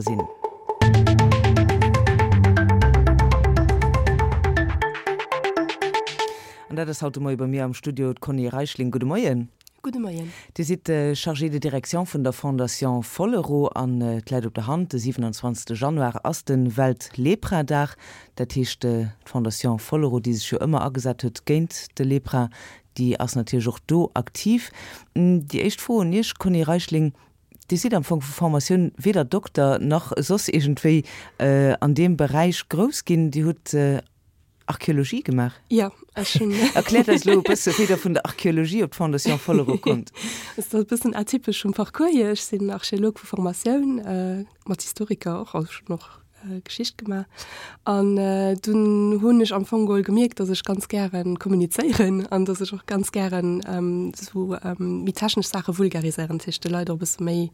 Sinn. An dat ass haut de Moie bei mir am Studio d'Conny Reichling. Gudde Moien. Gudde Moien. Dir sidd Chargée de direction vun der Fondation Follereau an et läit op der Hand, de 27. Januar ass de Welt-Lepra-Dag. Dat heescht, d'Fondation Follereau, déi sech jo ëmmer agesat huet géint de Lepra, déi ass natierlech och do aktiv. Déi éischt Fro un Iech, Conny Reichling, Dir sidd am Fong vu Formatioun weder Dokter nach soss iergendwéi an deem Beräich grouss ginn. Dir hutt Archeologie gemaach. Jo, ech hunn. Erkläert eis elo e bësse wéi Der vun der Archeologie op d'Fondation Follereau kommt. Et ass e bëssen atypesch vum Parcours hier. Ech sinn Archeolog vu Formatioun, mat Historiker och, also ech hunn och Geschicht gemaach. An dunn hunn ech am Fong geholl gemierkt, dass ech ganz gäre kommunizéieren an dass ech och ganz gären esou méi technesch Saache vulgariséieren, dat heescht de Leit och e bësse méi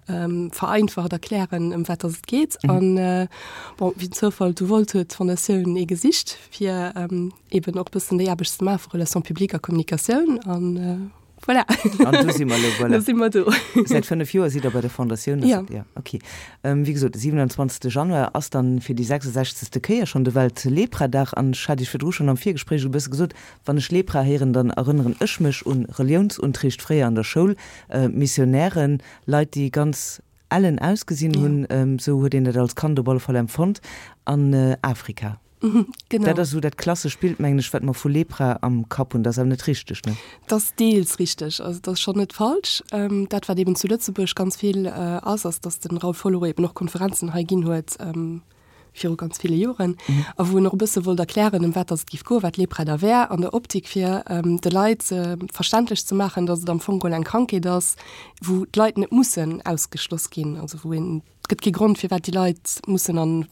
vereinfacht erklären, ëm wat dass et geet. An bon, wéi den Zoufall et wollt, huet d'Fondatioun ee gesicht, fir eeben och e bëssen déi Aarbecht ze maache vu Relations publiques a Kommunikatioun. An Voilà. An do si mer elo, voilà. Do si mer do. Säit 5 Joer sidd Der bei der Fondatioun. Ja. Ja, okay. Wéi gesot, de 27. Januar ass dann fir déi 66. Kéier schonn de Welt-Lepra-Dag. An ech hat Iech virdru schonn am Virgespréich e bësse gesot, wann ech Lepra héieren, dann erënneren ech mech un Reliounsunterricht fréier an der Schoul, Missionären, Leit, déi ganz ellen ausgesinn hunn, esou huet een dat als Kand op alle Fall empfonnt, an Afrika. Genau. Dat ass esou dat klassesch Bild, mengen ech, wat mer vu Lepra am Kapp hunn. Dat ass awer net richteg, ne? Dat ass deels richteg. Also dat ass schonn net falsch. Dat, wat eben zu Lëtzebuerg ganz vill ass, ass, datt de Raoul Follereau eben och Konferenzen hei ginn huet viru ganz ville Joren, a wou en och e bësse wollt erklären, ëm wat datt et géif goen, wat Lepra da wär, an der Optik, fir de Leit verständlech ze maachen, datt et am Fong geholl eng Krankheet ass, wou d'Leit net mussen ausgeschloss ginn, also wou een, et gëtt kee Grond, firwat déi Leit mussen an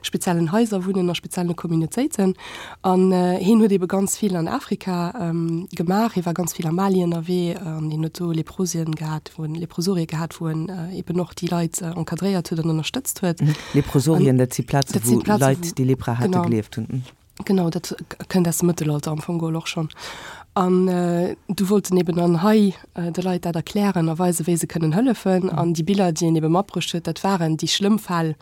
speziellen Haiser wunnen, a spezielle Communautéiten. An hien huet ebe ganz vill an Afrika gemaach. Hie war ganz vill a Mali ënnerwee an hien huet do Leprosien gehat, wou en Leprosorie gehat, wou en eben och déi Leit encadréiert huet an ënnerstëtzt huet. Leprosorien, dat si Plaze wou Leit, déi Lepra hate, gelieft hunn. Genau, dat kënnt aus dem Mëttelalter am Fong geholl och schonn. An du wollt en eben dann hei de Leit dat erklären a weisen, wéi se kënnen hëllefen. An déi Biller, déi en ebe matbruecht huet, dat waren déi schlëmm Fäll,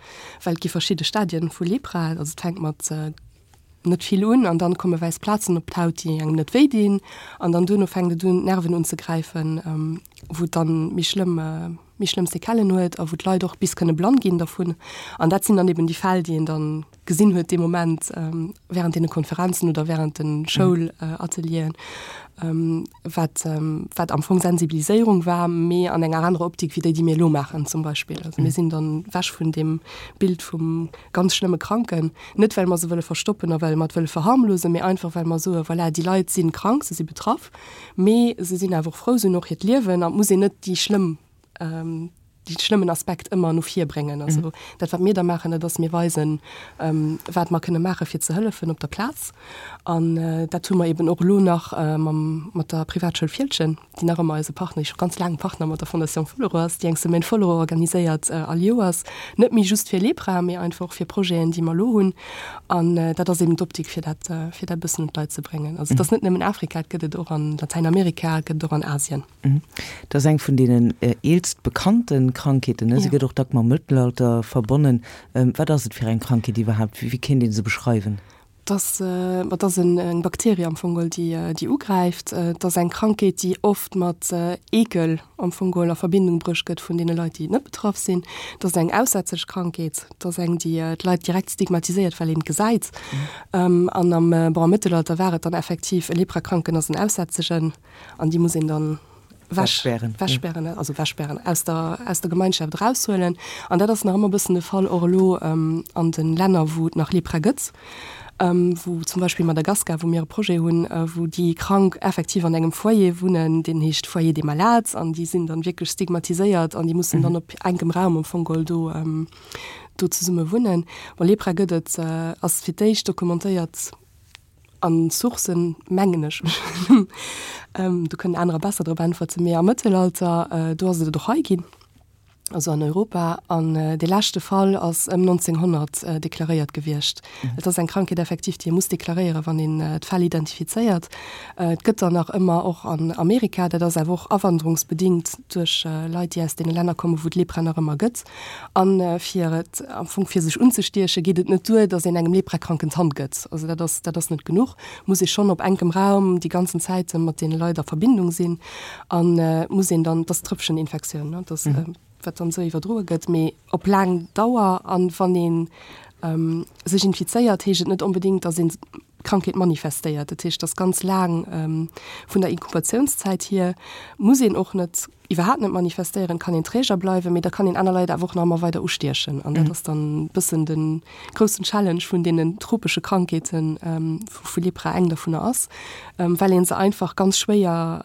well et gi verschidde Stadien vu Lepra. Also et fänkt mat net vill un an dann komme wäiss Plazen op d'Haut, déi engem net wéi dinn. An dann duerno fänkt et un, d'Nerven unzegräifen, wou et dann méi schlëmm, méi schlëmm Séquellen huet a wou d'Leit och bis kënne blann ginn dervun. An dat sinn dann eben déi Fäll, déi een dann gesinn huet dee Moment während deene Konferenzen oder während de Schoulatelieren, wat wat am Fong Sensibiliséierung war, mee an enger anerer Optik wéi déi, déi mir elo maachen zum Beispill. Also mir sinn dann wech vun deem Bild vum ganz schlëmme Kranken, net well mer se wëlle verstoppen a well mer et wëlle verharmlosen, mee einfach well mer soe voilà, déi Leit si krank, se si betraff, mee se sinn awer och frou, se hunn och hiert Liewen an et muss een net déi schlëmm dee schlëmmen Aspekt ëmmer no vir bréngen. Also dat, wat mir da maachen, dat ass, mir weisen, wat mer kënne maache fir ze hëllefen op der Plaz. An dat hu mer eben och elo nach mam, mat der Privatschoul Fieldgen, déi nach ëmmer eise Partner, déi scho ganz laang Partner mat der Fondation Follereau ass, déi eng Semaine Follereau organiséiert all Joers, net méi just fir Lepra, mee einfach och fir Projeten, déi mer elo hunn. An dat ass eben d'Optik, fir dat, fir dat e bëssen un d'Leit ze bréngen. Also et ass net nëmmen Afrika, et gëtt et och an Latäinamerika, et gëtt et och an Asien. Dat ass eng vun deenen eelst bekannte Krankheeten, ne? Se gëtt och dack mam Mëttelalter verbonnen. Wat ass et fir eng Krankheet iwwerhaapt? Wéi kéint ee se beschreiwen? Dat ass, ma dat ass eng Bakterie am Fong geholl, déi déi ugräift. Et ass eng Krankheet, déi oft mat Eekel am Fong geholl a Verbindung bruecht gëtt vun deene Leit, déi net betraff sinn. Et ass eng aussätzlech Krankheet. Et ass eng, déi d'Leit direkt stigmatiséiert, well een et gesäit. An am, bon, am Mëttelalter war et dann effektiv, e Leprakranken ass en Aussätzegen. An déi muss een dann wegspären, wegspären, also wegspären, aus der, aus der Gemeinschaft eraushuelen. An dat ass nach ëmmer e bëssen de Fall, och elo an de Länner, wou et nach Lepra gëtt, wou zum Beispill Madagaskar, wou mir e Projet hunn, wou déi Krank effektiv an engem Foyer wunnen, deen heescht Foyer des malades, an déi sinn dann wierklech stigmatiséiert an déi mussen dann op enkem Raum am Fong geholl do, do zesumme wunnen. Bon, Lepra gëtt et, ass fir d'éischt dokumentéiert, An Sourcen, mengen ech, do kënnen anerer besser drop äntwerten, mee am Mëttelalter, do ass et et och hei ginn. Also an Europa. An dee leschte Fall ass ëm 1900 deklaréiert gewiescht. Et ass eng Krankheet effektiv, déi ee muss deklaréieren, wann een d'Fäll identifizéiert. Et gëtt der nach ëmmer och an Amerika. Dat ass awer och awanderungsbedingt duerch Leit, déi aus deene Länner kommen, wou d'Lepra nach ëmmer gëtt. A fir et am Fong fir sech unzestiechen, geet et net duer, datt een engem Leprakranken d'Hand gëtt. Also dat ass, dat ass net genuch. Muss ee schonn op enkem Raum déi ganzen Zäite mat deene Leit a Verbindung sinn. An et muss een dann, et ass Trëppcheninfektioun, ne, dass, wat dann esou iwwerdroe gëtt, mee op laang Dauer. An wann ee sech infizéiert, heescht et net onbedéngt, dass een d'Krankheet manifestéiert. Dat heescht, dass ganz laang vun der Inkubatiounszäit hier muss een och net, iwwerhaapt net manifestéieren, kann een Träger bleiwen, mee da kann een aner Leit awer och nach ëmmer weider ustiechen. An dat ass dann e bëssen de groussen Challenge vun deenen tropesche Krankheeten, wou Lepra eng dovunner ass, well ee se einfach ganz schwéier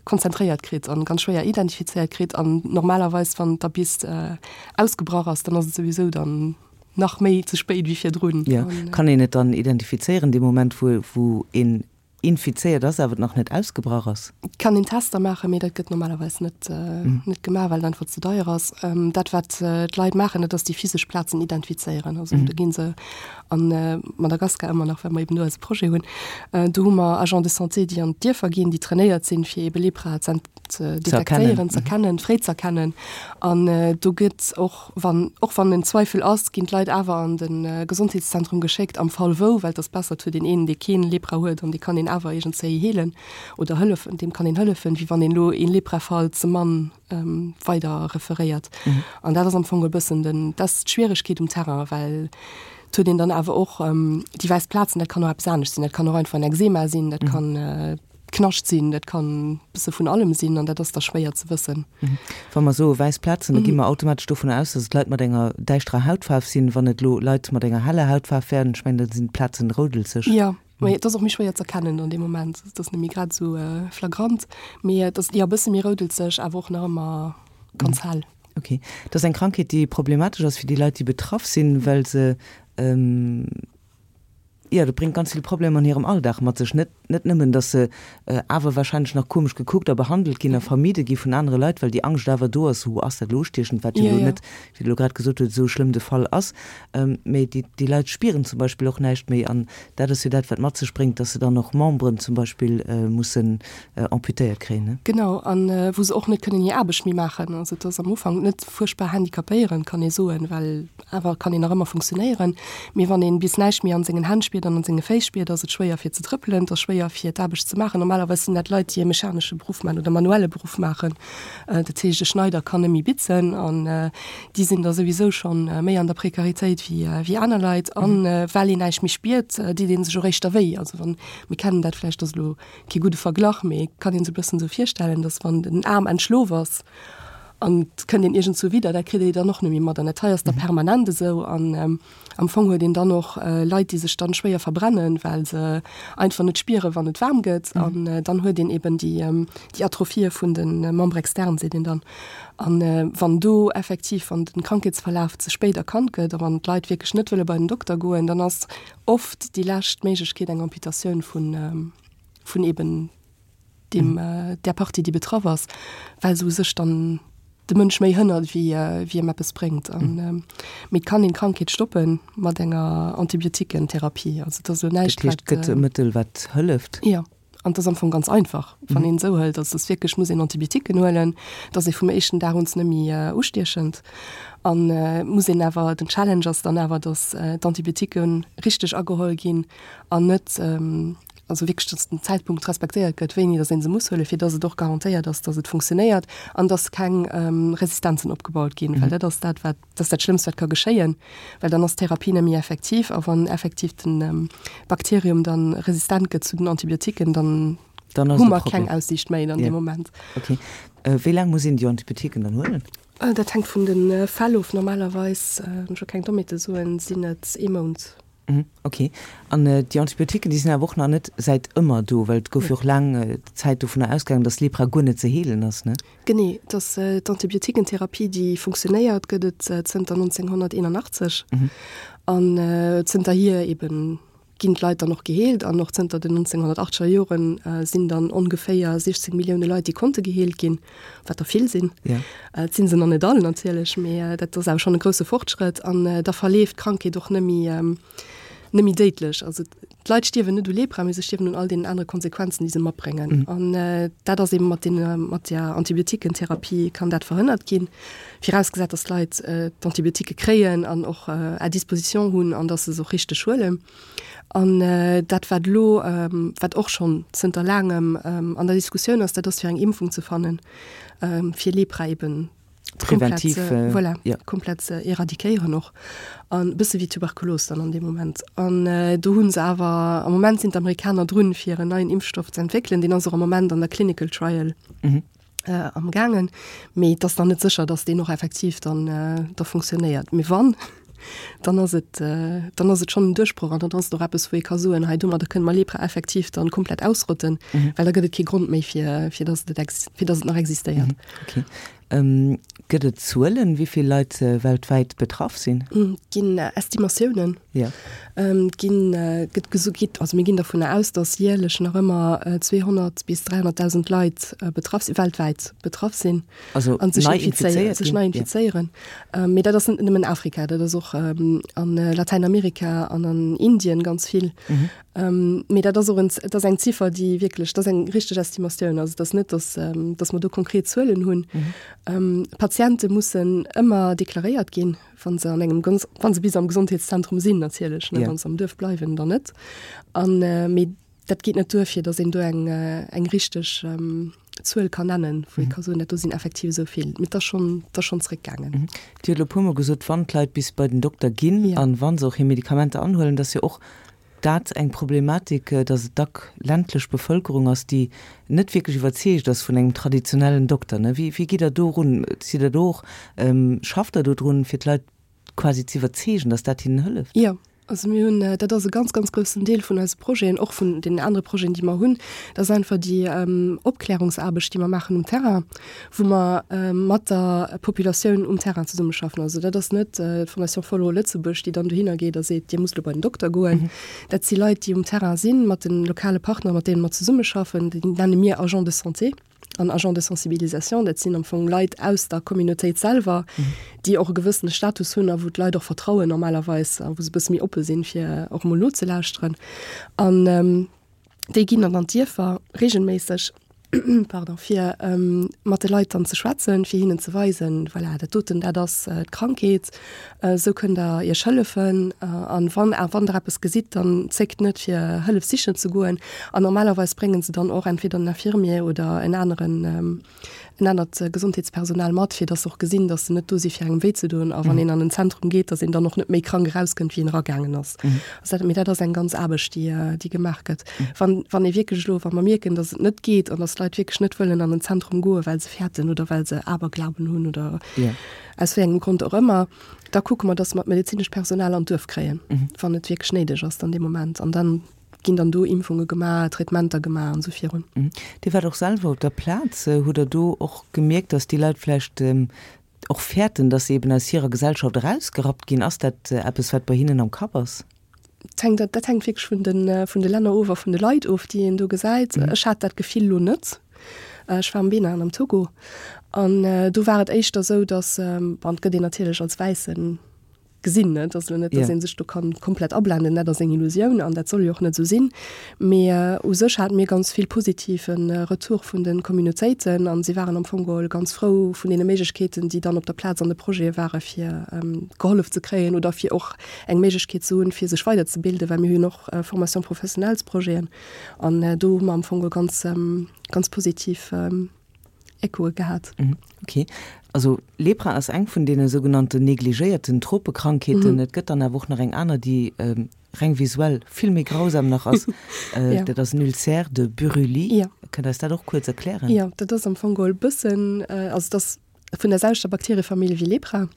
konzentréiert kritt an ganz schwéier identifizéiert kritt. An normalerweis, wann et da bis ausgebrach ass, dann ass et souwisou dann nach méi ze spéit wéi virdrun. Jo, kann een et dann identifizéieren dee Moment, wou wou een infizéiert ass, awer et nach net ausgebrach ass? Et kann een Tester maachen, mee dat gëtt normalerweis net net gemaach, well et einfach ze deier ass. Dat wat d'Leit maachen, dat ass déi physesch Plazen identifizéieren. Also do gi se an Madagaskar ëmmer nach, well mer eben do eise Projet hunn, do hu mer Agents de santé, déi an d'Dierfer ginn, déi trainéiert sinn, fir ebe Lepra ze detektéieren, ze erkennen, fréi ze erkennen. An do gëtt och, wann, och wann en Zweifel ass, ginn d'Leit awer an de Gesondheetszentrum geschéckt, am Fall wou, well et ass besser, et huet een een, dee keen Lepra huet an dee kann een awer iergendzéi heelen oder hëllefen, deem kann een hëllefen, wéi wann een elo ee Leprafall ze mann weider referéiert. An dat ass am Fong e bëssen den, dat ass d'Schwieregkeet um Terrain, well et huet een dann awer och déi wäiss Plazen, dat kann och eppes anescht sinn, dat kann och einfach en Ekzema sinn, dat kann Knascht sinn, dat kann e bësse vun allem sinn an dat ass da schwéier ze wëssen. Wa mer soe wäiss Plazen, da gi mer automatesch dovunner aus, datt et Leit mat enger däischterer Hautfaarf sinn. Wann et elo Leit mat enger heller Hautfaarf wären, ech mengen, da sinn d'Plazen roudelzeg. Jo, mee et ass och méi schwéier z'erkennen an deem Moment. Et ass net méi grad esou flagrant, mee et ass, jo, e bësse méi roudelzeg, awer och nach ëmmer ganz hell. Ok. Et ass eng Krankheet, déi problematesch ass fir déi Leit, déi betraff sinn, well se, jo, dat bréngt ganz vill Problemer an hirem Alldag mat sech. Net, net nëmmen, datt se awer wahrscheinlech nach komesch gekuckt a behandelt ginn a vermidde gi vun anere Leit, well déi Angscht awer do ass, Hu, ass dat elo ustiechend, wat jo elo net, wéi Der elo grad gesot hutt, esou schlëmm de Fall ass. Mee déi, déi Leit spieren zum Beispill och näischt méi an dat ass jo dat, wat mat sech bréngt, datt se dann och Memberen zum Beispill mussen amputéiert kréien, ne? Genau, an wou se och net kënnen hir Aarbecht méi maachen. Also et ass am Ufank net fuerchtbar handicapéierend, kann ee soen, well awer kann een nach ëmmer funktionéieren. Mee wann een bis näischt méi an sengen Hänn spiert an an senge Féiss spiert, ass et schwéier fir ze trëppelen, et ass schwéier fir d'Aarbecht ze maachen. Normalerweis sinn dat Leit, déi e mechanesche Beruff maachen oder manuelle Beruff maachen. Dat heescht, e Schneider kann net méi bitzen an déi sinn da souwisou schonn méi an der Prekaritéit wéi wéi aner Leit. An well een näischt méi spiert, deet ee sech och éischter wéi. Also wann, mir kennen dat vläicht, ass elo kee gudde Verglach, mee kann een sech e bëssen esou virstellen, dass wann den Aarm entschlof ass an et kënnt een iergendzou widder, dat kritt ee dann och net méi mat. An dat hei ass da permanent esou. An am Fong huet een dann och Leit, déi sech dann schwéier verbrennen, well se einfach net spieren, wann et waarm gëtt. An dann huet een eben déi, déi Atrophie vun de Membres externes, seet een dann. An wann do effektiv, wann den Krankheetsverlaf ze spéit erkannt gëtt a wann d'Leit wierklech net wëlle bei den Dokter goen, dann ass oft déi lescht Méiglechkeet eng Amputatioun vun, vun eben deem, där Partie, déi betraff ass, well se u sech dann de Mënsch méi hënnert, wéi, wéi em eppes bréngt. An, mee et kann een d'Krankheet stoppe mat enger Antibiotiquentherapie. Also et ass elo näischt, Dat heescht, et wat. gëtt e Mëttel, wat hëlleft? Jo. An et ass am Fong ganz einfach, wann een esou hëlt. Also et ass wierklech, muss een Antibiotiquen huelen, et ass ee vum éischten Dag un net méi ustiechend. An et muss een awer, den Challenge ass dann awer, datt d'Antibiotiquen richteg ageholl ginn an net, also wierklech, datt den Zäitpunkt respektéiert gëtt, wéini datt ee se muss huelen, fir datt et och garantéiert ass, datt et funktionéiert an datt keng Resistenzen opgebaut ginn, well dat ass dat, wat Dat ass dat Schlëmmst, wat ka geschéien, well dann ass d'Therapie net méi effektiv. A wann effektiv de Bakterium dann resistent gëtt zu den Antibiotiquen, dann hu mer keng Aussiicht méi an deem Moment. Okay. Wéi laang muss een déi Antibiotiquen dann huelen? Dat hänkt vun de Fäll of. Normalerweis, wann ech elo keng Dommheete soen, sinn et ee Mount. Ok. An déi Antibiotiquen, déi sinn awer och nach net säit ëmmer do, well et gouf jo och laang Zäit dovunner ausgaangen, datt Lepra guer net ze heelen ass, ne? Genee, et ass d'Antibiotiquentherapie, déi funktionéiert, gëtt et zënter 1981 an zënterhier eben. ginn d'Leit dann och geheelt an och zënter den 1980er Joren sinn dann ongeféier 16 Millioune Leit, déi konnte geheelt ginn, wat der vill sinn. Et si se nach net all natierlech, mee dat ass awer schonn e grousse Fortschrëtt an da verleeft d'Krankheet och net méi net méi déidlech. Also d'Leit stierwen net u Lepra, mee se stierwen un all deenen anere Konsequenzen, déi se matbréngen. An dat ass eebe mat deene mat der Antibiotiquentherapie kann dat verhënnert ginn, virausgesat, datt d'Leit d'Antibiotiquë kréien an och à disposition hunn an datt se se och richteg huelen. An dat wat elo, wat och schonn zënter laangem an der Diskussioun ass, dat ass fir eng Impfung ze fannen, fir Lepra eeben Präventiv, voilà, ja. komplett ze éradiquéieren och an e bësse wéi Tuberkulos dann an deem Moment. An do hu se awer, am Moment sinn d'Amerikaner drun, fir en neien Impfstoff ze entwéckelen, deen ass och am Moment an der Clinical Trial mhm. äh, am gaangen, mee et ass nach net sécher, datt deen och effektiv dann äh, da funktionéiert. Mee wann, dann ass et, äh, dann ass et schonn en Duerchbroch an dann ass et och eppes, wou ee ka soen, hei domadder kënne mer Lepra effektiv dann komplett ausrotten, mhm. well da gëtt et kee Grond méi fir, fir datt et, fir datt et nach existéiert. Mhm. Okay. Gëtt et Zuelen, wéi vill Leit weltwäit betraff sinn? Et ginn Estimatiounen. Jo. Et ginn, gëtt geso, gitt, also mir ginn dervunner aus, datt jäerlech nach ëmmer 200 bis 300.000 Leit betraff sinn, weltwäit betraff sinn. Also an sech nei infizéieren, infizéiert sech ginn? nei infizéieren. Mee dat ass net nëmmen Afrika, dat ass och an Latäinamerika an an Indien ganz vill. Mee dat ass och en, dat ass eng Ziffer, déi wierklech, dat ass eng richteg Estimatioun. Also et ass net, datt, datt mer do konkret Zuelen hunn. Patiente mussen ëmmer deklaréiert ginn, wa se an engem, wa se bis am Gesondheetszentrum sinn natierlech, ne, wa se am Duerf bleiwen, dann net. An, mee dat geet net duer, fir datt een do eng, eng richteg Zuel kann nennen, wou ee ka soen, dat do sinn effektiv esou vill. Mee et ass schonn, et ass schonn zréckgaangen. Dir hutt elo e puermol gesot, wann d'Leit bis bei den Dokter ginn Ja. an wa se och hir Medikamenter anhuelen, dass jo och dat eng Problematik, dass et dack ländlech Bevëlkerung ass, déi net wierklech iwwerzeegt ass vun engem traditionellen Dokter. Wéi, wéi gitt Der do erun? Sidd Der do och, schafft Der do drun, fir d'Leit quasi ze iwwerzeegen, dass dat hinnen hëlleft? Jo, also mir hunn, dat ass e ganz, ganz groussen Deel vun eise Projeten, och vun deenen anere Projeten, déi mer hunn, dat ass einfach déi Opklärungsaarbecht, déi mer maachen um Terrain, wou mer mat der Populatioun um Terrain zesummeschaffen. Also dat ass net d'Fondation Follereau Lëtzebuerg, déi dann dohinner geet a seet, Dir musst elo bei den Dokter goen. Dat si Leit, déi um Terrain sinn, mat de lokale Partner, mat deene mer zesummeschaffen, déi nenne mir Agents de santé. an Agents de sensibilisation, dat sinn am Fong Leit aus der Communautéit selwer, déi och e gewëssene Status hunn a wou d'Leit och vertrauen normalerweis a wou se e bësse méi oppe sinn, fir och emol nozelauschteren. An déi ginn dann an d'Dierfer reegelméisseg, pardon, fir mat de Leit dann ze schwätzen, fir hinnen ze weisen, voilà, dat doten, dat ass d'Krankheet, Esou kënnt der iech hëllefen an wann wann der eppes gesitt, dann zéckt net fir Hëllef sichen ze goen. An normalerweis bréngen se dann och entweder en Infirmier oder en aneren en anert Gesondheetspersonal mat, fir dass se och gesinn, dass se net do si fir engem wéi ze doen. A wann een an en Zentrum geet, dass een dann och net méi krank erauskënnt wéi een eragaangen ass. Also dat, mee dat ass eng ganz Aarbecht déi déi gemaach gëtt. Wann wann ee wierklech elo, wa mer mierken, dass et net geet an dass d'Leit wierklech net wëllen an en Zentrum goen, well se fäerten oder well se Aberglauben hunn oder aus wéi engem Grond och ëmmer, da kucke mer, dass mer d'medezinescht Personal an d'Duerf kréien, wann et wierklech néideg ass dann dee Moment. An dann ginn dann do Impfunge gemaach, Traitementer gemaach an esou virun. Dir waart och selwer op der Plaz. Hutt Der do och gemierkt, dass déi Leit vläicht och fäerten, dass se eben aus hirer Gesellschaft erausgerappt ginn? Ass dat eppes, wat bei hinnen am Kapp ass? Hänkt, dat hänkt wierklech vun de, vun de Länner of a vun de Leit of, déi een do gesäit. Ech hat dat Gefill elo net. Ech war am Benin an am Togo an do war et éischter esou, datt, bon, et gëtt een natierlech als Wäisse gesinn, ne, et ass elo net, datt ee sech do kann komplett ablenden, dat ass eng Illusioun an dat soll jo och net esou sinn. Mee u sech hate mir ganz vill positive Retour vun de Communautéiten an si waren am Fong geholl ganz frou vun deene Méiglechkeeten, déi dann op der Plaz an de Projete ware fir gehollef ze kréien oder fir och eng Méiglechkeet ze hunn, fir sech weiderzebilden, well mir hunn och Formation professionnelles-Projeten an do hu mer am Fong ganz, ganz positiv Echoe gehat. Okay. Also Lepra ass eng vun deene sougenannten negligéierten Tropekrankheeten. Et gëtt dann awer och nach eng aner, déi reng visuell vill méi grausam nach ass. Dat ass en Ulcère de Buruli. Kënnt Der eis dat och kuerz erklären? Jo, dat ass am Fong geholl e bëssen, also et ass vun der selwechter Bakteriefamill wéi Lepra.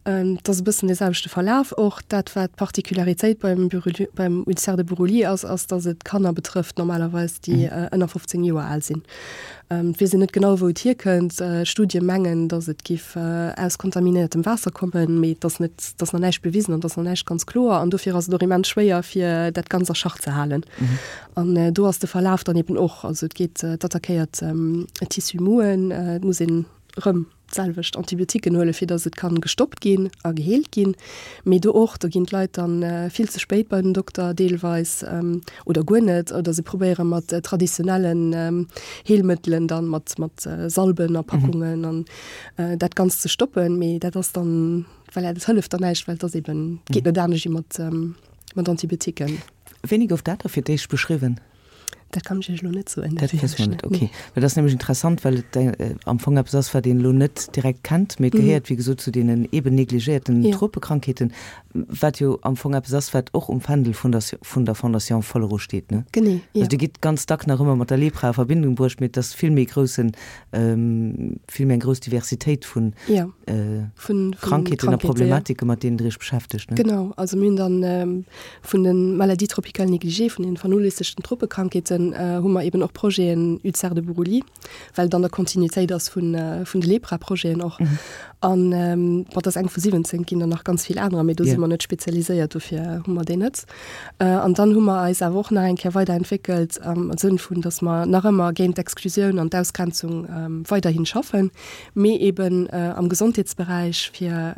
Et ass e bëssen dee selwechte Verlaf och. Dat, wat d'Particularitéit beim Buruli, beim Ulcère de Buruli ass, ass, datt et Kanner betrëfft normalerweis, déi ënner 15 Joer al sinn. Et weess een net genau, wou et hierkënnt. Studie mengen, datt et giff aus kontaminéiertem Waasser kommen, mee et ass net, et ass nach näischt bewisen an et ass nach näischt ganz kloer. An dofir ass et och immens schwéier, fir dat Ganzt a Schach ze halen. An do ass de Verlaf dann eben och, also et geet, et attackéiert d'Tissu mouen, et muss een erëm d'selwecht Antibiotiquen huelen, fir datt et kann gestoppt ginn a geheelt ginn. Mee do och, do ginn d'Leit dann vill ze spéit bei den Dokter deelweis oder guer net, oder se probéiere mat traditionellen Heelmëttelen dann, mat mat Salben a Packungen an dat Ganzt ze stoppen. Mee dat ass dann, voilà, dat hëlleft dann näischt, well et ass eben, geet net anescht wéi mat mat Antibiotiquen. Wéini gouf dat da fir d'éischt beschriwwen? Dat kann ech Iech elo net soen. Dat wësse mer net, okay. Well dat ass nämlech interessant, well et am Fong eppes ass, wat een elo net direkt kennt, mee et gehéiert, wéi gesot, zu deenen eeben negligéierten Tropekrankheeten, wat jo am Fong eppes ass, wat och um Fändel vun der vun der Fondation Follereau steet, ne? Genee, jo. Also Dir gitt ganz dack nach ëmmer mat der Lepra a Verbindung bruecht, mee et ass vill méi groussen, vill méi eng grouss Diversitéit vun Krankheeten a Problematike, mat deenen Der Iech beschäftegt, ne? Genau, also mir hunn dann Vun de Maladies tropicales négligées, vun den vernoléissegten Tropekrankheeten, hu mer eben och Projeten Ulcère de Buruli, well et an der Kontinuitéit ass vun de Lepra-Projeten och. An bon, dat ass eng vu 17, et ginn der nach ganz vill anerer, mee do si mer net spezialiséiert, dofir hu mer déi net. An dann hu mer eis awer och nach eng Kéier weiderentwéckelt am Sënn vun, datt mer nach ëmmer géint d'Exklusioun an d'Ausgrenzung weiderhin schaffen, mee eben am Gesondheetsberäich fir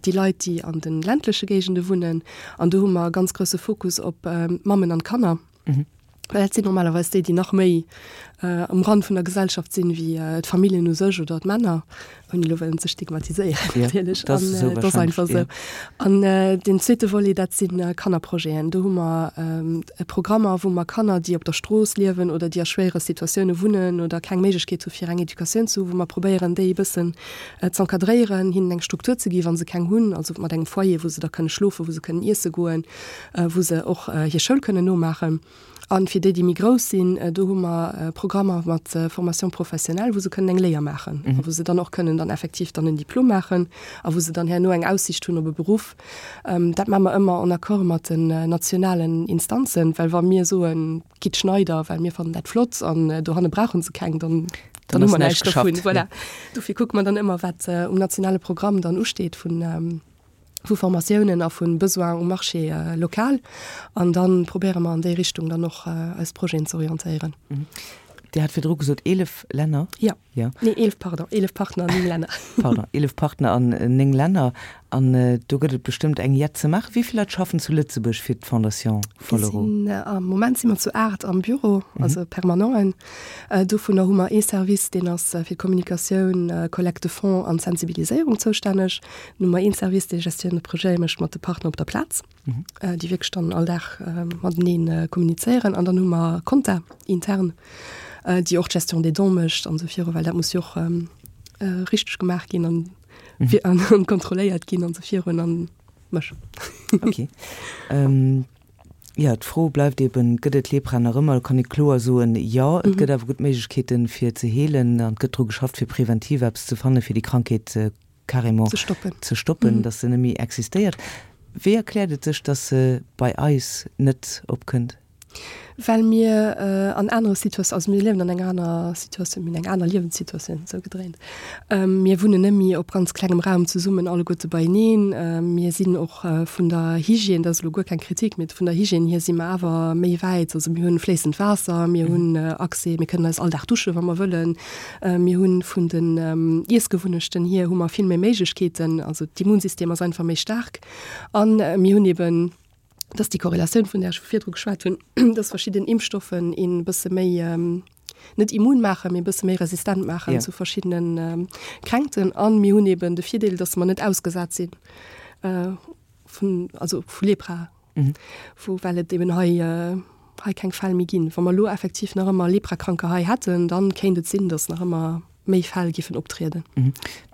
déi Leit, déi an de ländleche Géigende wunnen, An do hu mer e ganz grousse Fokus op d'Mammen an d'Kanner. Well dat sinn normalerweis déi, déi nach méi um Rand vun der Gesellschaft sinn, wéi d'Familljen u sech oder d'Männer, ouni elo wëllen ze stigmatiséieren natierlech. An dat ass einfach esou. An deen zweete Volet, dat si Kannerprojeten. Do hu mer Programmer, wou mer Kanner, déi op der Strooss liewen oder déi a schwéiere Situatioune wunnen oder keng Méiglechkeet hu fir eng Educatioun ze hu, wou mer probéieren, déi e bëssen z'encadréieren, hinnen eng Struktur ze gi wa se keng hunn, also mat engem Foyer, wou se da kënne schlofen, wou se kënnen iesse goen, wou se och hir Schoul kënnen nomaachen. A fir déi, déi méi grouss sinn, do hu mer Programmer mat Formation professionnelle, wou se kënnen eng Léier maachen a wou se dann och kënnen dann effektiv dann en Diplom maachen a wou se dann herno eng Aussicht hunn op e Beruff. Dat maache mer ëmmer en Accord mat den nationalen Instanzen, well wa mir soen, Gitt Schneider, well mir fannen dat flott an dohanne brauche se keng, dann, dann hu mer näischt dovun. Voilà. Dofir kucke mer dann ëmmer, wat um nationale Programm dann usteet vun, vu Formatiounen a vu Besoin um Marché lokal an dann probéiere mer an déi Richtung dann och eis Projeten ze orientéieren. Dir hat virdru gesot 11 Länner. Jo. Ja. Nee, 11, pardon, 11 Partner an 9 Länner. Pardon, 11 Partner an 9 Länner. An do gëtt et bestëmmt eng Jett ze maachen. Wéi vill Leit schaffen zu Lëtzebuerg fir d'Fondation Follereau? Mir sinn, am Moment si mer zu 8 am Büro, also Permanenten. Dovunner hu mer ee Service, deen ass fir d'Kommunikatioun, Collecte de fonds an d'Sensibiliséierung zoustänneg. Dann hu mer een Service, dee Gestion de projet mécht mat de Partner op der Plaz. déi wierklech dann all Dag matenee kommunizéieren. An dann hu mer Compta intern, déi och d'Gestion des dons mécht an esou viru, well dat muss jo och richteg gemaach ginn an an kontrolléiert ginn an esou virun an mech. Okay. Jo, d'Fro bleift eben, Gëtt et Lepra nach ëmmer? Do kann ee kloer soen, jo. Et gëtt awer gutt Méiglechkeeten, fir ze heelen an et gëtt dru geschafft, fir preventiv eppes ze fannen, fir déi Krankheet carrément ze stoppen, ze stoppen, dass se net méi existéiert. Wéi erkläert et sech, dass se bei eis net opkënnt? Well mir an anere Situatioun, also mir liewen an enger aner Situatioun, mir hunn eng aner Liewenssituatioun, esou gedréint. Mir wunnen net méi op ganz klengem Raum zesummen, alleguerte beieneen. Mir sinn och vun der Hygiène, dat ass elo guer keng Kritik, mee vun der Hygiène hier si mer awer méi wäit. Also mir hunn fléissend Waasser, mir hunn Accès, mir kënnen eis all Dag dusche wa mer wëllen. Mir hunn vun den Iessgewunnechten hier hu mer vill méi Méiglechkeeten, also d'Immunsystem ass einfach méi staark an mir hunn eben, dat ass déi Korrelatioun vun där ech virdru geschwat hunn, dass verschidden Impfstoffen een e bësse méi, net immun maachen, mee e bësse méi resistent maachen zu verschiddene Kränkten. An mir hunn eben de Virdeel, dass mer net ausgesat si vun, also vu Lepra. Wou, well et eben hei, hei keng Fäll méi ginn. Wa mer elo effektiv nach ëmmer Leprakranker hei hätten, dann kéint et sinn, datt nach ëmmer méi Fäll giffen optrieden.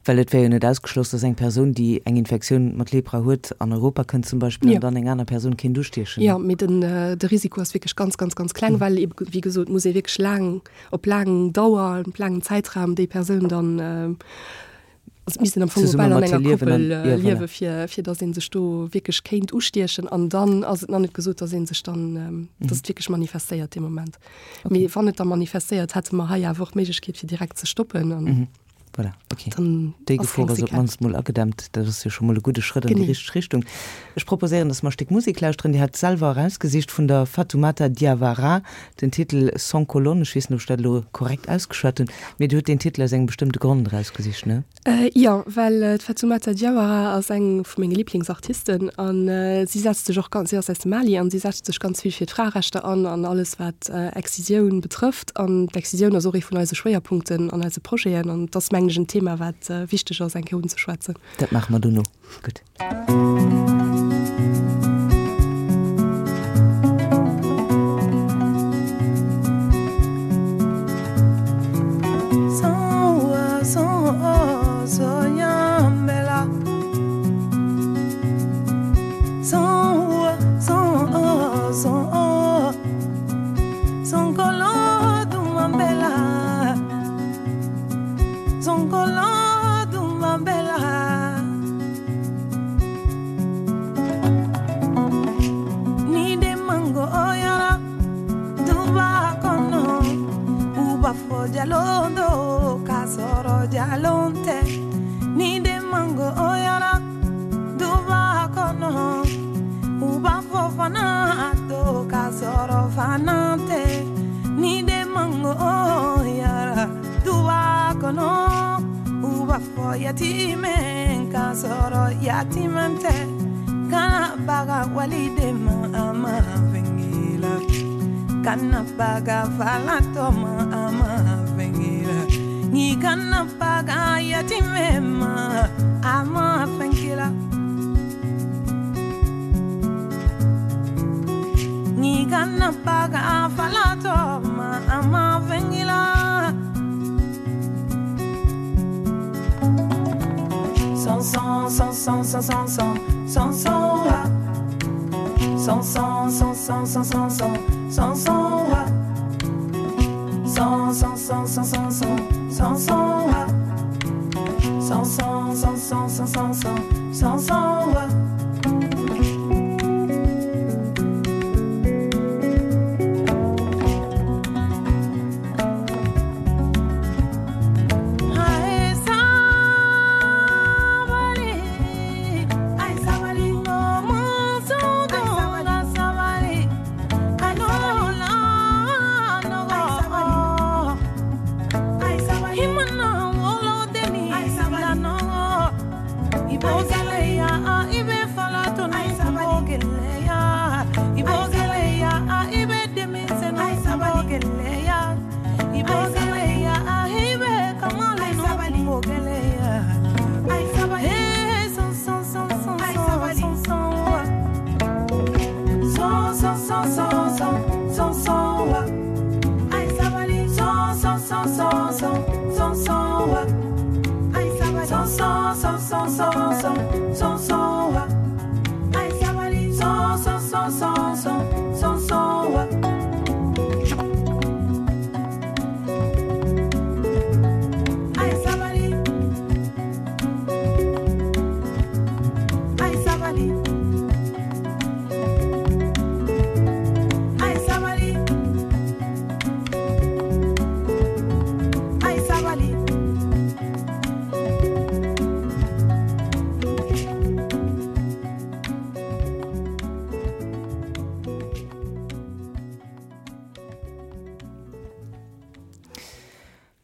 Well et wär jo net ausgeschloss, datt eng Persoun, déi eng Infektioun mat Lepra huet, an Europa kënnt zum Beispill an dann eng aner Persoun kéint ustiechen. Jo, mee den, de Risiko ass wierklech ganz, ganz, ganz kleng, well ebe wéi gesot, muss ee wierklech laang, op laang Dauer, op laangen Zäitraum déi Persoun dann. Also et misst een am Fong Zesumme bal an mat hir enger liewen an, Koppel jo, voilà. liewe fir, fir datt ee sech do wierklech kéint ustiechen. An dann ass et nach net gesot, datt ee sech dann, datt et wierklech manifestéiert dee Moment. Mee wann et da manifestéiert, hätte mer hei awer och d'Méiglechkeet fir direkt ze stoppen an Voilà, okay. dann Déi ass Gefor keng ass op Séquelle. d'mannst mol agedämmt. Dat ass jo scho mol e gudde Schrëtt an déi Genee. richteg Richtung. Ech proposéieren, datt mer e Stéck Musek lauschteren. Dir hat selwer erausgesicht vun der Fatoumata Diawara, den Titel Sans Colonne. Ech weess net, ob ech dat elo korrekt ausgeschwat hunn, mee Dir hutt deen Titel aus engem bestëmmte Grond erausgesicht, ne? Jo, well d'Fatoumata Diawara ass eng vu menge Liblingsartisten a si setzt sech och ganz, si ass aus dem Mali an si setzt sech ganz vill fir d'Fraerechter an an alles wat Excisioun betrëfft. An d'Excisioun ass och ee vun eise Schwéierpunkten an eise Projeten an et ass mengen ech en Thema wat wichteg ass eng Kéier unzeschwätzen. Dat maache mer dono. Gutt.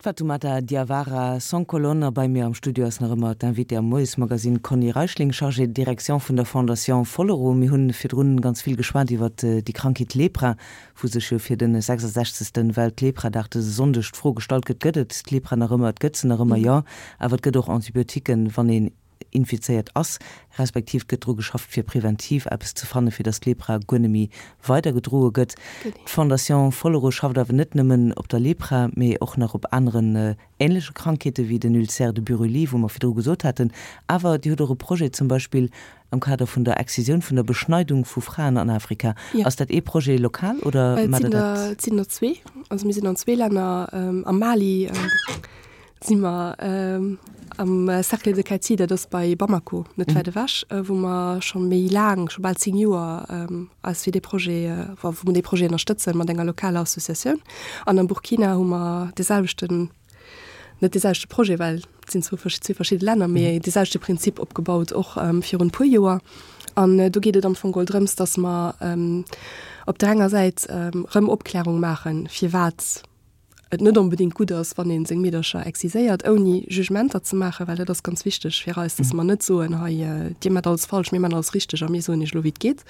D'Fatoumata Diawara Sans Colonne a bei mir am Studio ass nach ëmmer d'Invitée am Moiesmagazine Conny Reichling, Chargée de direction vun der Fondation Follereau. Mir hunn virdrun ganz vill geschwat iwwer déi Krankheet Lepra, wou sech jo fir de 66. Welt-Lepra-Dag dëse Sonndeg d'Fro gestallt gëtt, Gëtt et d'Lepra nach ëmmer? Et gëtt se nach ëmmer, jo, awer et gëtt och Antibiotiquen, wann een infizéiert ass, respektiv et gëtt dru geschafft fir preventiv eppes ze fanne fir datt d'Lepra guer net méi weidergedroe gëtt. D'Fondation Follereau schafft awer net nëmmen op der Lepra, mee och nach op aneren änleche Krankheete wéi den Ulcère de Buruli, wou mer virdru gesot haten. Awer Dir hutt och e Projet zum Beispill am Kader vun der Excisioun, vun der Beschneidung vu Fraen an Afrika. Ass dat ee Projet lokal oder maacht Der dat? Et sinn der zwee. Also mir sinn an zwee Länner, am Mali si mer. Am Cercle de Kati, dat ass bei Bamako, net wäit ewech, wou mer scho méi laang, scho bal 10 Joer, eis fir dee Projet, wou mer dee Projet ënnerstëtzen mat enger lokaler Associatioun. An am Burkina hu mer dee selwechten, net dee selwechte Projet, well et sinn zwou zwee verschidde Länner, mee dee selwechte Prinzip opgebaut, och virun e puer Joer. An do geet et am Fong geholl drëms, datt mer op där enger Säit erëm Opklärung maachen, firwat et net onbedéngt gutt ass, wann ee seng Meedercher exciséiert, ouni Jugementer ze maachen, well dat ass ganz wichteg fir eis, dass mer net soen, hei, Dir maacht alles falsch, mir maachen alles richteg a mir soen Iech elo, wéi et geet.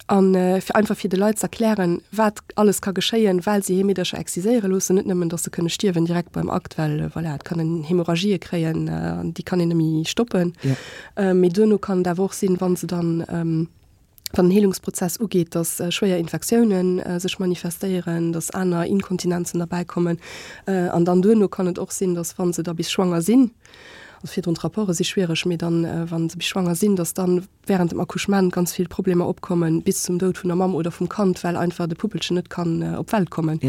A fir einfach fir de Leit ze erklären, wat alles ka geschéien, well se hir Meedercher exciséiere loossen, net nëmmen, dass se kënne stierwen direkt beim Akt, well voilà, et kann een Hämorrhagië kréien an déi kann een net méi stoppen, mee duerno kann et awer och sinn, wa se dann, wann den Heelungsprozess ugeet, dass schwéier Infektiounen sech manifestéieren, dass aner Inkontinenzen derbäi kommen. An dann duerno kann et och sinn, dass wa se da bis schwanger sinn, also virdrun d'Rapporte si schwiereg, mee dann, wa se bis schwanger sinn, dass dann während dem Accouchement ganz vill Problemer opkommen, bis zum Doud vun der Mamm oder vum Kand, well einfach de Puppelchen net kann op d'Welt kommen.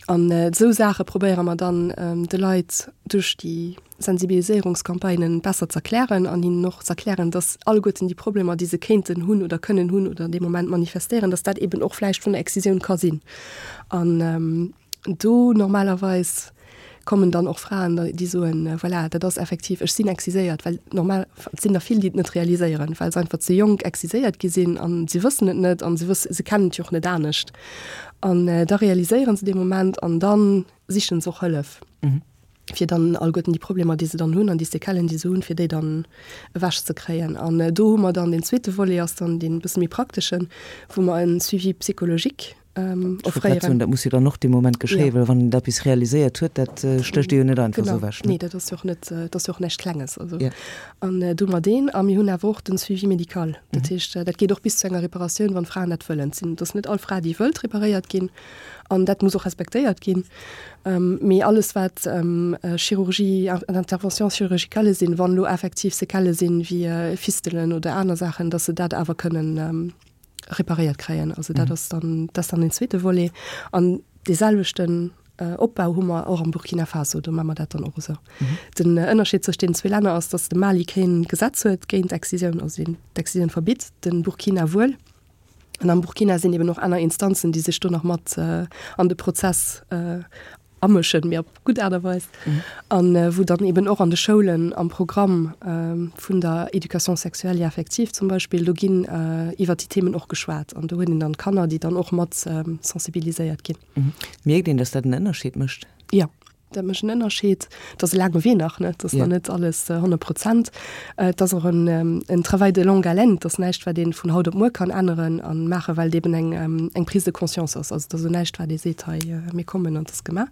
An esou Saache probéiere mer dann de Leit duerch déi Sensibiliséierungscampagnen besser z'erklären an hinnen och z'erklären, dass alleguerten déi Problemer, déi se kéinten hunn oder kënnen hunn oder an deem Moment manifestéieren, dass dat eben och vläicht vun der Excisioun ka sinn. An do normalerweis kommen dann och Fraen, déi soen, voilà, dat ass effektiv, ech sinn exciséiert, well normal, et sinn der vill, déi et net realiséieren, well se einfach ze jonk exciséiert gi sinn a se wëssen et net a se wëssen, se kennen et jo och net anescht. An da realiséiere se dee Moment an da sichen se och Hëllef. Fir dann alleguerten déi Problemer, déi se dann hunn an déi Séquellen, déi se hunn, fir déi dann ewech ze kréien. An do hu mer dann deen zweete Volet, ass dann deen e bësse méi prakteschen, wou mer en Suivi psychologique offréieren. Dat muss jo dann och dee Moment geschéien, well wann een dat bis realiséiert huet, dat stécht ee jo net einfach esou ewech. Nee, dat ass jo och net, dat ass jo och näischt Klenges. Also, an do hu mer deen. A mir hunn awer och den Suivi médical. Dat heescht, dat geet och bis zu enger Reparatioun, wann d'Fraen dat wëllen. Et sinn, et ass net all Fra, déi wëllt reparéiert ginn. An dat muss och respektéiert ginn. Mee alles, wat Chirurgie an Interventions chirurgicales sinn, wann elo effektiv Séquellë sinn, wéi Fistelen oder aner Saachen, datt se dat awer kënnen reparéiert kréien. Also dat ass dann, dat ass dann deen zweete Volet. An dee selwechten Opbau hu mer och am Burkina Faso, do maache mer dat dann och esou. Den Ënnerscheed zwëscht deenen zwee Länner ass, datt de Mali keen Gesetz huet géint Excisioun, also deen d'Excisioun verbitt, de Burkina wuel. An am Burkina sinn eben och aner Instanzen, déi sech do nach mat an de Prozess amëschen, mee op gutt Aart a Weis. An wou dann eben och an de Schoulen am Programm vun der Éducation sexuelle et affective zum Beispill, do ginn iwwert déi Themen och geschwat. An do huet een dann d'Kanner, déi dann och mat sensibiliséiert ginn. Mierkt een, datt dat en Ënnerscheed mécht? Jo. Dat mécht en Ënnerscheed. Et ass e laange Wee nach, ne? Et ass nach net alles 100 Prozent. Et ass och en, en Travail de longue haleine. Et ass näischt, wat ee vun haut op muer kann änneren a maachen, well et eben eng, eng Prise de conscience ass. Also et ass elo näischt, wat ee seet, hei, mir kommen an et ass gemaach.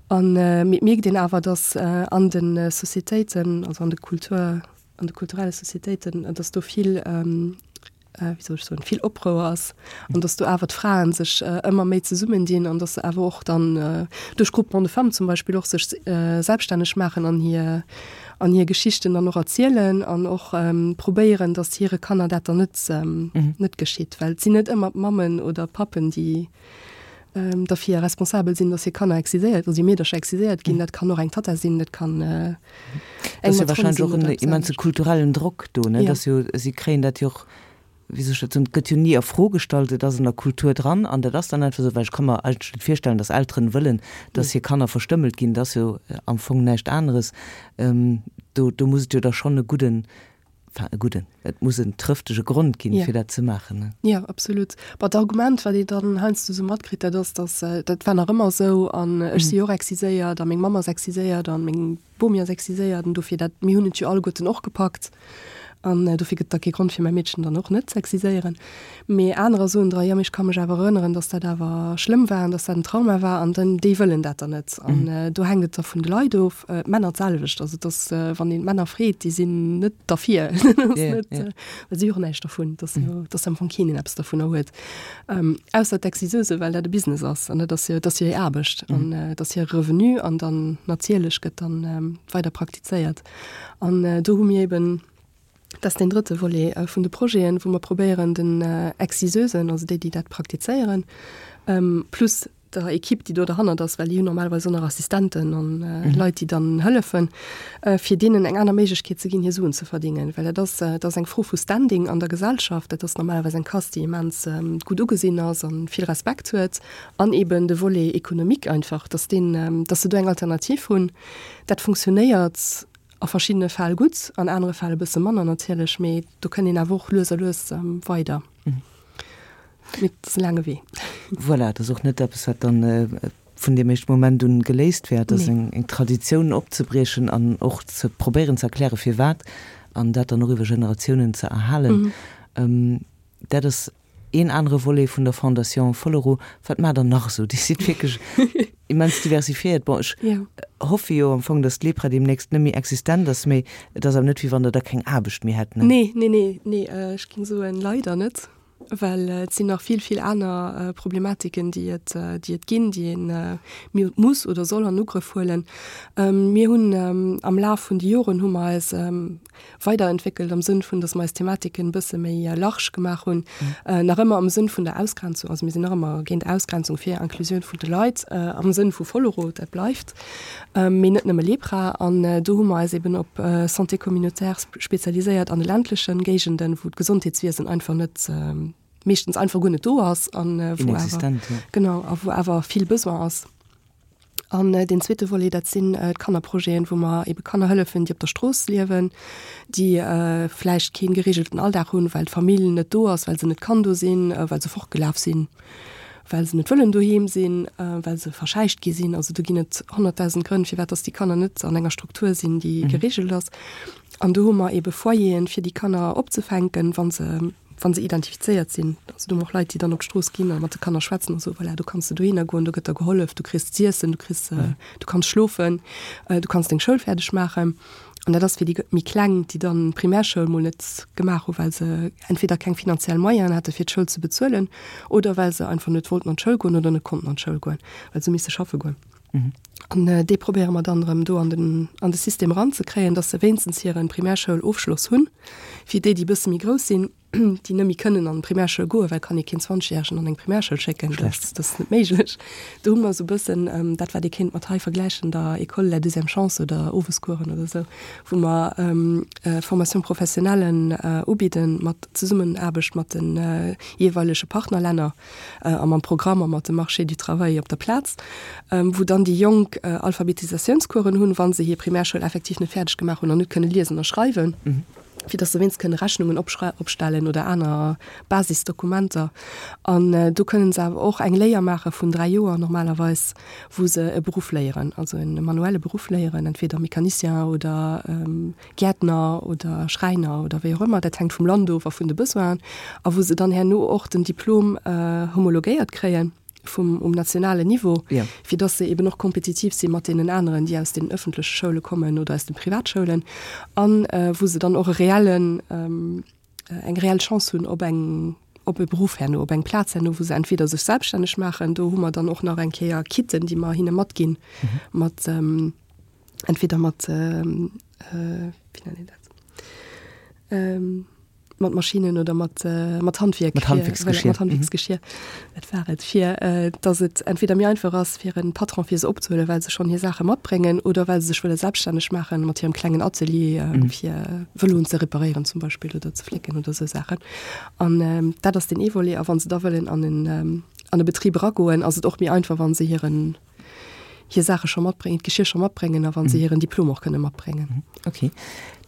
An, mee et mierkt een awer, datt an de Societéiten, also an de Kultur, an de kulturelle Societéiten, datt do vill, wéi soll ech soen, vill Oprouer ass an dass do awer d'Fraen sech ëmmer méi zesummendinn an dass se awer och dann duerch Groupement de femmes zum Beispill och sech selbststänneg maachen an hir an hir Geschichten dann och erzielen an och probéieren, dass hire Kanner dat dann net net geschitt. Well et sinn net ëmmer d'Mammen oder d'Pappen, déi derfir responsabel sinn, dass hir Kanner exciséiert, also hir Meedercher exciséiert ginn. Dat kann och eng Tatta sinn, dat kann eng Dat ass jo wahrscheinlech och en immense kulturellen Drock do, ne? Dass jo, si kréien dat jo och, wéi soll ech dat soen, et gëtt jo ni a Fro gestallt, et ass an der Kultur dran an dat ass dann einfach esou, well ech ka mer eigentlech net virstellen, dass Elteren wëllen, dass hir Kanner verstëmmelt ginn, dat ass jo am Fong näischt aneres. Do, do muss et jo da schonn e gudden Enfin, e gudden, et muss en trëftege Grond ginn, fir dat ze maachen, ne? Jo, absolut. Bon, d'Argument, wat ee dann heiansdo esou matkritt, dat ass, dass dat war nach ëmmer esou an ech si jo och exciséiert a meng Mamm ass exciséiert a meng Bomi ass exciséiert an dofir dat, mir hunn et jo alleguerten och gepackt an dofir gëtt et da kee Grond fir mäi Meedchen dann och net z'exciséieren. Mee anerer soen dra, jo, mee ech ka mech awer erënneren, dass dat awer schlëmm war an dass dat en Trauma war an dann, déi wëllen dat dann net. An do hänkt et da vun de Leit of. D'Männer d'selwecht. Also et ass, wann een d'Männer freet, déi sinn net derfir. Dat ass net, well si hu och näischt dervun. Et ass jo, et ass am Fong keen, deen eppes dovunner huet. Ausser d'Exciseuse, well dat e Business ass an dat ass jo, et ass jo hir Aarbecht an et ass hire Revenu an dann natierlech gëtt dann weider praktizéiert. An do hu mir eben, Dat ass deen drëtte Volet vun de Projeten, wou mer probéieren, den Exciseusen, also déi, déi dat praktizéieren, plus. der Equipe, déi do derhannert ass, well déi hunn normalerweis och nach Assistenten an Leit, déi dann hëllefen, fir deenen eng aner Méiglechkeet ze ginn, hir Suen ze verdingen. Well dat ass, dat ass eng Fro vu Standing an der Gesellschaft. Dat ass normalerweis eng Caste, déi immens gutt ugesinn ass a vill Respekt huet. An eben de Volet économique einfach, dass deen, dass se do eng Alternativ hunn. Dat funktionéiert a verschiddene Fäll gutt, an anere Fäll e bësse manner natierlech, mee do kënnt een awer och lues a lues weider. Mee et ass e laange Wee. Voilà, et ass och net eppes, wat dann vun deem éischte Moment un geléist wär. Et ass eng Traditioun opzebriechen an och ze probéieren ze erklären, firwat, an dat dann och iwwer Generatiounen ze erhalen. Dat ass een anere Volet vun der Fondation Follereau. Wat maacht Der nach esou? Dir sidd wierklech immens diversifiéiert. Bon, ech hoffe jo am Fong, datt d'Lepra deemnächst net méi existent ass, mee et ass awer net, wéi wann Der da keng Aarbecht méi hätt, ne? Nee, nee, nee, nee, ech géing soen, leider net, well et sinn nach vill, vill aner Problematiken, déi et, déi et ginn, déi ee muss oder soll an Ugrëff huelen. Mir hunn am Laf vun de Joren hu mer eis weiderentwéckelt am Sënn vun, dass mer eis Thematiken e bësse méi large gemaach hunn, nach ëmmer am Sënn vun der Ausgrenzung, also mir sinn nach ëmmer géint Ausgrenzung, fir Inclusioun vun de Leit am Sënn vu Follereau, dat bleift, mee net nëmme Lepra. An do hu mer eis eben op Santé communautaire spezialiséiert an de ländlechen Géigenden, wou d'Gesondheetswiesen einfach net, meeschtens einfach guer net do ass an wou awer, genau, a wou awer vill Besoin ass. An deen zweete Volet, dat sinn d'Kannerprojeten, wou mer ebe Kanner hëllefen, déi op der Strooss liewen, déi vläicht kee geregelten Alldag hunn, well d'Famill net do ass, well se net kann do sinn, well se fortgelaf sinn, well se net wëllen doheem sinn, well se verschäicht gi sinn. Also do ginn et 100.000 Grënn, firwat dass déi Kanner net an enger Struktur sinn, déi geregelt ass. An do hu mer ebe Foyeren, fir déi Kanner opzefänken, wa se wa se identifizéiert sinn, also do hu mer och Leit, déi dann op d'Strooss ginn a mat de Kanner schwätzen a sou, voilà, do kanns de dohinner goen, do gëtt der gehollef, du kriss z'iessen, du kriss, du kanns schlofen, du kanns deng Schoul fäerdeg maachen. An dat ass fir déi méi Kleng, déi dann d'Primärschoul mol net gemaach hu well se entweder keng finanziell Moyenen hate fir d'Schoul ze bezuelen oder well se einfach net wollten an d'Schoul goen oder net konnten an d'Schoul goen, well se hu misse schaffe goen. An déi probéiere mer dann erëm do an den, an de System eranzekréien, dass se wéinstens hiren Primärschoulofschloss hunn. Fir déi, déi e bësse méi grouss sinn, déi net méi kënnen an d'Primärschoul goen, well kann ee keen Zwanzegjäregen an eng Primärschoul schécken, dat, dat ass net méiglech. Do hu mer esou e bëssen dat, wat ee kéint mat hei vergläichen, der École de la deuxième chance oder Owescoursen oder esou, wou mer Formation professionnellen ubidden mat Zesummenaarbecht mat de jeeweilege Partnerlänner. a mam Programm a mat dem Marché du travail op der Plaz, wou dann déi Jonk Alphabetisatiounscoursen hunn, wa se hir Primärschoul effektiv net fäerdeg gemaach hunn an net kënne liesen a schreiwen, fir datt se wéinst kënne Rechnungen opstellen oder aner Basisdokumenter. An do kënnen se awer och eng Léier maache vun 3 Joer normalerweis, wou se e Beruff léieren, also e manuelle Beruff léieren, entweder Mecanicien oder Gäertner oder Schräiner oder wéi och ëmmer, dat hänkt vum Land of a vun de Besoinen, a wou se dann herno och den Diplom homologéiert kréien vum um nationalen Niveau, fir dass se eben och kompetitiv si mat deenen aneren, déi aus den öffentleche Schoule kommen oder aus de Privatschoulen, a wou se dann och e reellen, eng reell Chance hunn op eng, op e Beruff herno, op eng Plaz herno, wou se entweder sech selbststänneg maachen, do hu mer dann och nach eng Kéier Kitten, déi mer hinne matginn, mat, entweder mat wéi nennt een dat mat Maschinnen oder mat mat Handwierk mat Handwierksgeschir mat Handwierksgeschir dat war et fir dass et entweder méi einfach ass fir en Patron fir se opzehuelen well se schonn hir Saache matbréngen oder well se sech wëlle selbststänneg maachen mat hirem klengen Atelier fir Vëloen ze reparéieren zum Beispill oder ze flécken oder esou Saachen an dat ass deen ee Volet a wann se da wëllen an en an e Betrib eragoen ass et och méi einfach wann se hiren hir Saache scho matbréngen, d'Geschir scho matbréngen a wa se hiren Diplom och kënne matbréngen. Ok.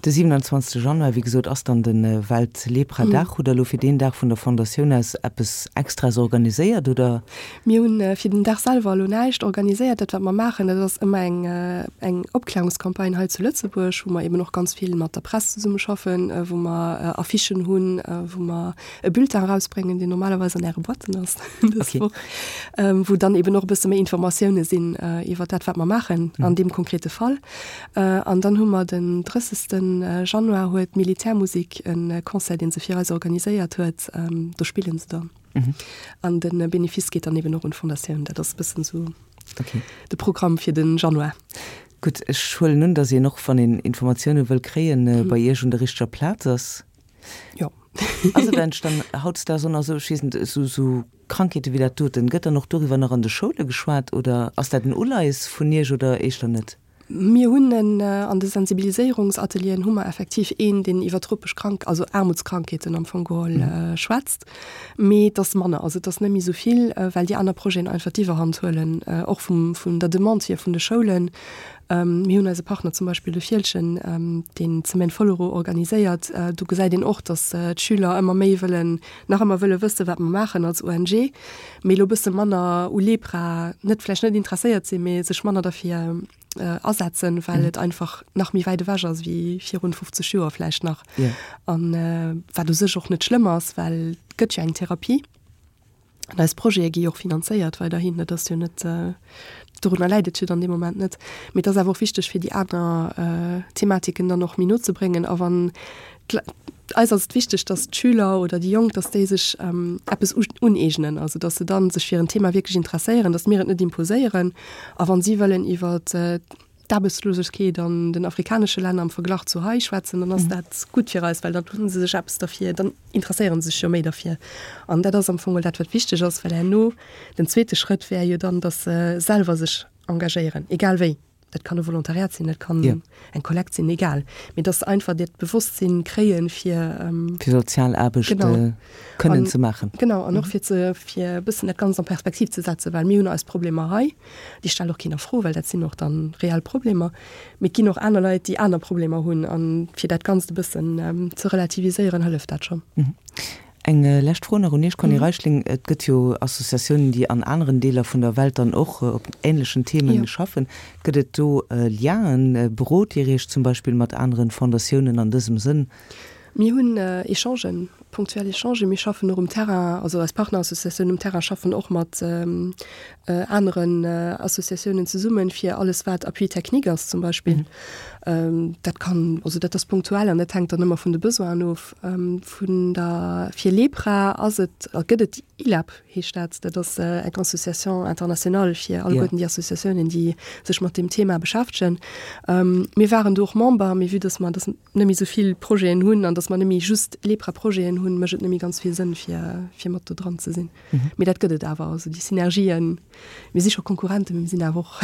De 27. Januar, wéi gesot, ass dann de Welt-Lepra-Dag. Hutt Der elo fir deen Dag vun der Fondatioun aus eppes Extraes organiséiert, oder? Mir hunn fir den Dag selwer elo näischt organiséiert. Dat, wat mer maachen, dat ass ëmmer eng, eng Opklärungscampagne hei zu Lëtzebuerg, wou mer eben och ganz vill mat der Press zesummeschaffen, wou mer Affichen hunn, wou mer e Bulletin erausbréngen, deen normalerweis an Äre Boîten ass dës Woch, wou dann eben och e bësse méi Informatioune sinn iwwer dat, wat mer maachen an deem konkrete Fall. An dann hu mer den 30. Januar huet d'Militärmusik e Concert, dee se fir eis organiséiert huet. Do spillen se dann. An de Benefice geet dann eben och un d'Fondatioun. Dat ass e bëssen esou de Programm fir de Januar. Gutt, ech huelen un, datt een och, wann een Informatioune wëll kréien, bei Iech un der richteger Plaz ass. Jo. Ass et eigentlech dann hautdesdaags och nach esou, ech weess net, esou esou Krankheete wéi dat doten, gëtt dann och doriwwer nach an de Schoule geschwat oder ass dat en Uleies vun Iech oder éischter net? Mir hunn en, an de Sensibiliséierungsatelieren hu mer effektiv een, deen iwwer tropesch Krank, also Aarmutskrankheeten am Fong geholl schwätzt, mee et ass manner, also et ass net méi esou vill, well déi aner Projeten einfach d'Iwwerhand huelen, och vum, vun der Demande hier vun de Schoulen. Mir hunn eise Partner zum Beispill de Fieldgen, deen d'Semaine Follereau organiséiert. Do gesäit een och, datt d'Schüler ëmmer méi wëllen, nach ëmmer wëlle wëssen, wat mer maachen als ONG, mee elo e bësse manner u Lepra, net vläicht net interesséiert sinn, mee sech manner derfir asetzen, well et einfach nach méi wäit ewech ass wéi virun 50 Joer vläicht nach. An wat u sech och net schlëmm ass, well et gëtt jo eng Therapie. An eis Projete gi jo och finanzéiert weiderhin. Dat ass jo net, dorunner läit et jo dann dee Moment net. Mee et ass awer och wichteg, fir déi aner Thematiken dann och méi no ze bréngen. A wann eis ass et wichteg, datt d'Schüler oder déi Jonk, datt déi sech eppes uneegnen, also datt se dann sech fir en Thema wierklech interesséieren, datt mir et net imposéieren. A wann si wëllen iwwer d'Aarbechtslosegkeet an den afrikanesche Länner am Verglach zu hei schwätzen, dann ass dat gutt fir eis, well dann hu se sech eppes derfir, dann interesséiere se sech jo méi derfir. An dat ass am Fong dat, wat wichteg ass, well herno den zweete Schrëtt wär jo dann, datt se selwer sech engagéieren, egal wéi. Dat kann e Volontariat sinn, dat kann eng Kollekt sinn, egal. Mee datt se einfach dat Bewosstsinn kréien, fir. Fir sozial Aarbecht kënnen ze maachen. Genau, an och fir ze, fir e bëssen dat Ganzt an Perspektiv ze setzen, well mir hunn eis Problemer hei. Déi stellt och keen a Fro, well dat sinn och dann reell Problemer. Mee et ginn och aner Leit, déi aner Problemer hunn. A fir dat Ganzt e bëssen ze relativiséieren, hëlleft dat schonn. Eng lescht Fro nach un Iech, Conny Reichling. Et gëtt jo Associatiounen, déi an aneren Deeler vun der Welt dann och op änlechen Themen schaffen. Gëtt et do Lienen? Berot Dir Iech zum Beispill mat aneren Fondatiounen an dësem Sënn? Mir hunn Echangen, punktuell Echangen. Mir schaffen och um Terrain, also eis Partnerassociatiounen um Terrain schaffen och mat aneren Associatiounen zesummen, fir alles wat Appui technique ass zum Beispill. Dat kann, also dat ass punktuell an dat hänkt dann ëmmer vun de Besoinen of. Vun der, fir Lepra ass et, gëtt et ILEP heescht dat, dat ass eng Association internationale fir alleguerten déi Associatiounen, déi sech mat deem Thema beschäftegen. Mir waren do och Member, mee vue dass mer dass net méi esou vill Projeten hunn an dass mer net méi just Lepra-Projeten hunn, mécht et net méi ganz vill Sënn, fir, fir mat do dran ze sinn. Mee dat gëtt et awer, also déi Synergien. Mir si scho Konkurrenten, mee mir sinn awer och,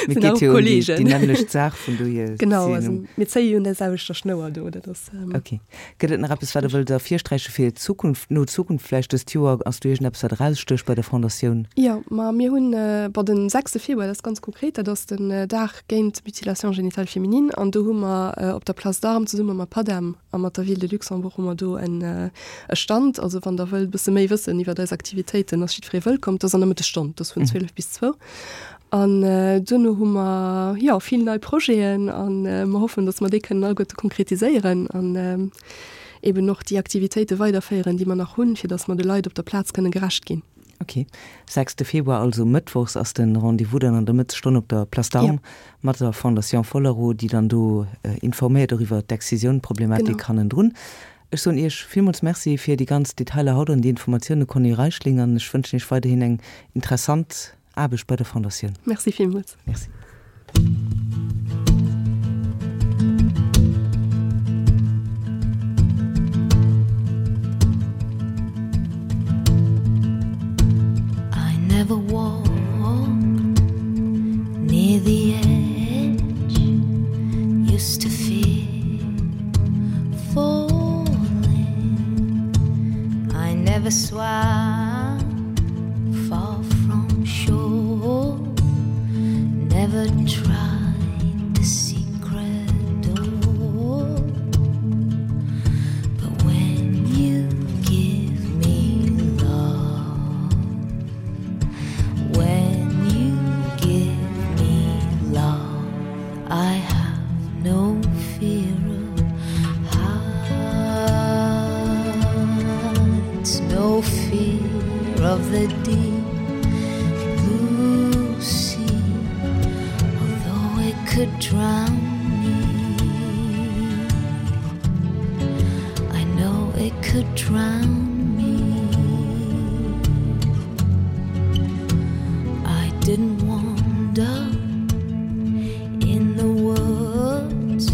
Mir sinn awer och Kollegen. Déi nämmlecht Saach, vun dohier. Genau, also mir zéie jo un der selwechter Schnouer do, dat ass. Ok. Gëtt et nach eppes, wat Der wëllt ervirsträiche fir d'Zukunft, no Zukunft vläicht dëst Joer? Ass do iergendeppes, wat erausstécht bei der Fondatioun? Jo, ma mir hunn, bon, den sechste Februar, dat ass ganz konkret, dat ass den Dag géint d'Mutilation génitale féminine an do hu mer op der Place d'Armes zesumme mat Padem a mat der Ville de Luxembourg hu mer do en e Stand. Also wann der wëllt e bësse méi wëssen iwwert eis Aktivitéiten, ass jiddweree wëllkomm. Dat ass an der Mëttesstonn, dat ass vun 12 bis zwou. An duerno hu mer, jo, vill nei Projeten a mer hoffen, datt mer déi kënnen alleguerte konkretiséieren an eeben och déi Aktivitéite weiderféieren, déi mer nach hunn, fir datt mer de Leit op der Plaz kënne gerecht ginn. Ok, sechste Februar, also mëttwochs ass de Rendez-vous dann an der Mëttesstonn op der Place d'Armes mat der Fondation Follereau, déi dann do informéiert och iwwer d'Excisioun-Problematik hannendrun. Ech soen Iech villmools Merci fir déi ganz Detailer haut an déi Informatioune, Conny Reichling, an ech wënschen Iech weiderhin eng interessant Aarbecht bei der Fondatioun. Merci villmools. Merci. I never walked near the edge used to fear falling I never swam far from shore never tried the secret door but when you give me love when you give me love I have no fear of heights no fear of the deep blue sea although it could drown me I know it could drown me I didn't wander in the woods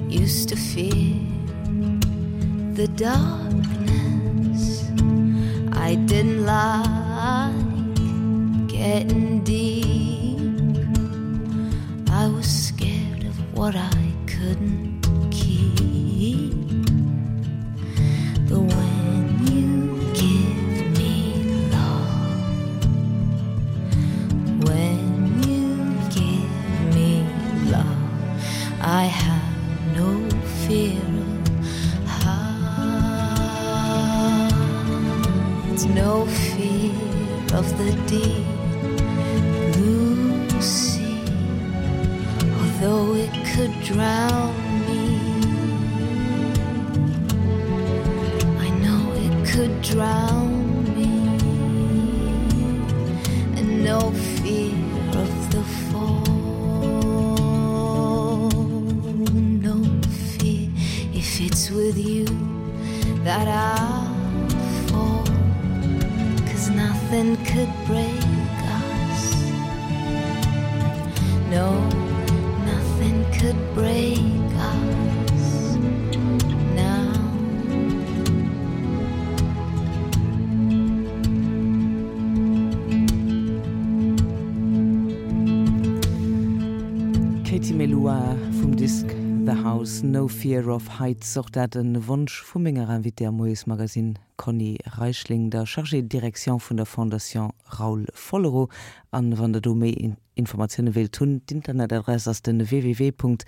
used to fear the. darkness. I didn't like getting deep. I was scared of what I couldn't keep. But when you give me love, when you give me love, I have no fear of heights, no fear of the deep blue sea, although it could drown me. I know it could drown me, and no fear of the fall, no fear if it's with you that I'll fall, 'cause nothing could break us. No, nothing could break us now. Katie Melua vum Disk The House, No Fear of Heights, och dat e Wonsch vu menger Invitée am Moiesmagazine Conny Reichling, der Chargée de direction vun der Fondation Raoul Follereau. An wann der do méi Informatioune wéilt hunn, d'Internetadress ass den www.ffl.lu.